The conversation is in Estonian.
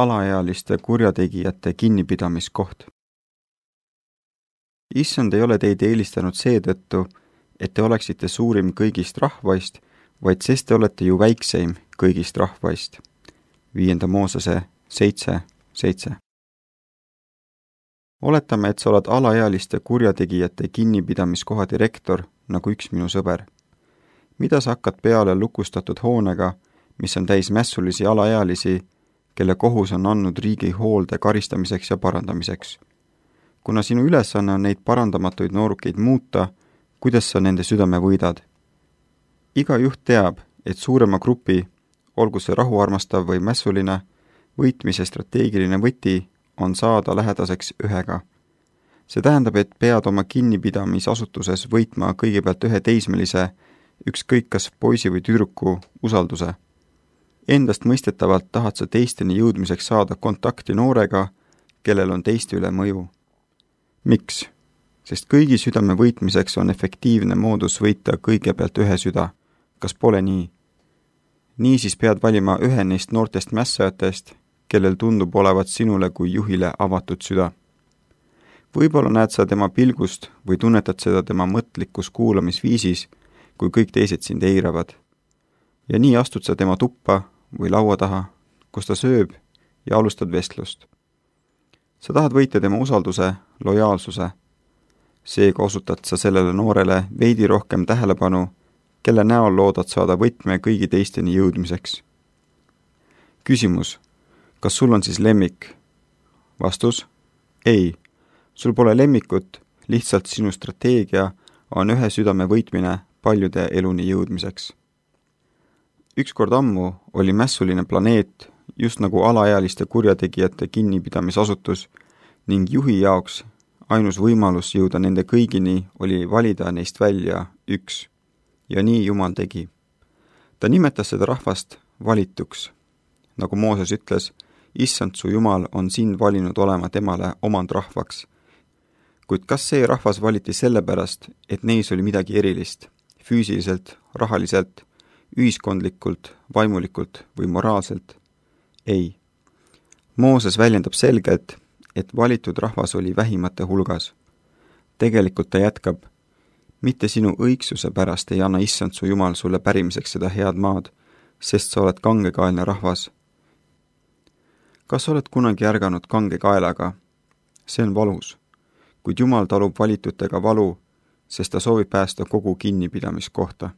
alaealiste kurjategijate kinnipidamiskoht. Issand ei ole teid eelistanud seetõttu, et te oleksite suurim kõigist rahvaist, vaid sest te olete ju väikseim kõigist rahvaist. 5. Moosese 7:7. Oletame, et sa oled alaealiste kurjategijate kinnipidamiskoha direktor, nagu üks minu sõber. Mida sa hakkad peale lukustatud hoonega, mis on täis mässulisi alaealisi, kelle kohus on andnud riigi hoolde karistamiseks ja parandamiseks? Kuna sinu ülesanne on neid parandamatuid noorukeid muuta, kuidas sa nende südame võidad? Iga juht teab, et suurema grupi, olgu see rahuarmastav või mässuline, võitmise strateegiline võti on saada lähedaseks ühega. See tähendab, et pead oma kinnipidamisasutuses võitma kõigepealt ühe teismelise, ükskõik kas poisi või tüdruku usalduse. Endast mõistetavalt tahad sa teisteni jõudmiseks saada kontakti noorega, kellel on teiste üle mõju. Miks? Sest kõigi südame võitmiseks on efektiivne moodus võita kõigepealt ühe süda. Kas pole nii? Niisiis pead valima ühe neist noortest mässajatest, kellel tundub olevat sinule kui juhile avatud süda. Võib-olla näed sa tema pilgust või tunnetad seda tema mõtlikus kuulamisviisis, kui kõik teised sind eiravad. Ja nii astud sa tema tuppa või laua taha, kus ta sööb ja alustad vestlust. Sa tahad võita tema usalduse, lojaalsuse. Seega osutad sa sellele noorele veidi rohkem tähelepanu, kelle näol loodad saada võtme kõigi teisteni jõudmiseks. Küsimus. Kas sul on siis lemmik? Vastus. Ei. Sul pole lemmikut, lihtsalt sinu strateegia on ühe südame võitmine paljude eluni jõudmiseks. Ükskord ammu oli mässuline planeet, just nagu alaealiste kurjategijate kinnipidamisasutus, ning juhi jaoks ainus võimalus jõuda nende kõigini oli valida neist välja üks. Ja nii Jumal tegi. Ta nimetas seda rahvast valituks. Nagu Mooses ütles, Issand su Jumal on sind valinud olema temale omandrahvaks. Kuid kas see rahvas valiti sellepärast, et neis oli midagi erilist, füüsiliselt, rahaliselt, ühiskondlikult, vaimulikult või moraalselt? Ei. Mooses väljendab selgelt, et valitud rahvas oli vähimate hulgas. Tegelikult ta jätkab, mitte sinu õigsuse pärast ei anna Issand su Jumal sulle pärimiseks seda head maad, sest sa oled kangekaelne rahvas. Kas oled kunagi ärganud kangekaelaga? See on valus, kuid Jumal talub valitutega valu, sest ta soovib päästa kogu kinnipidamiskohta.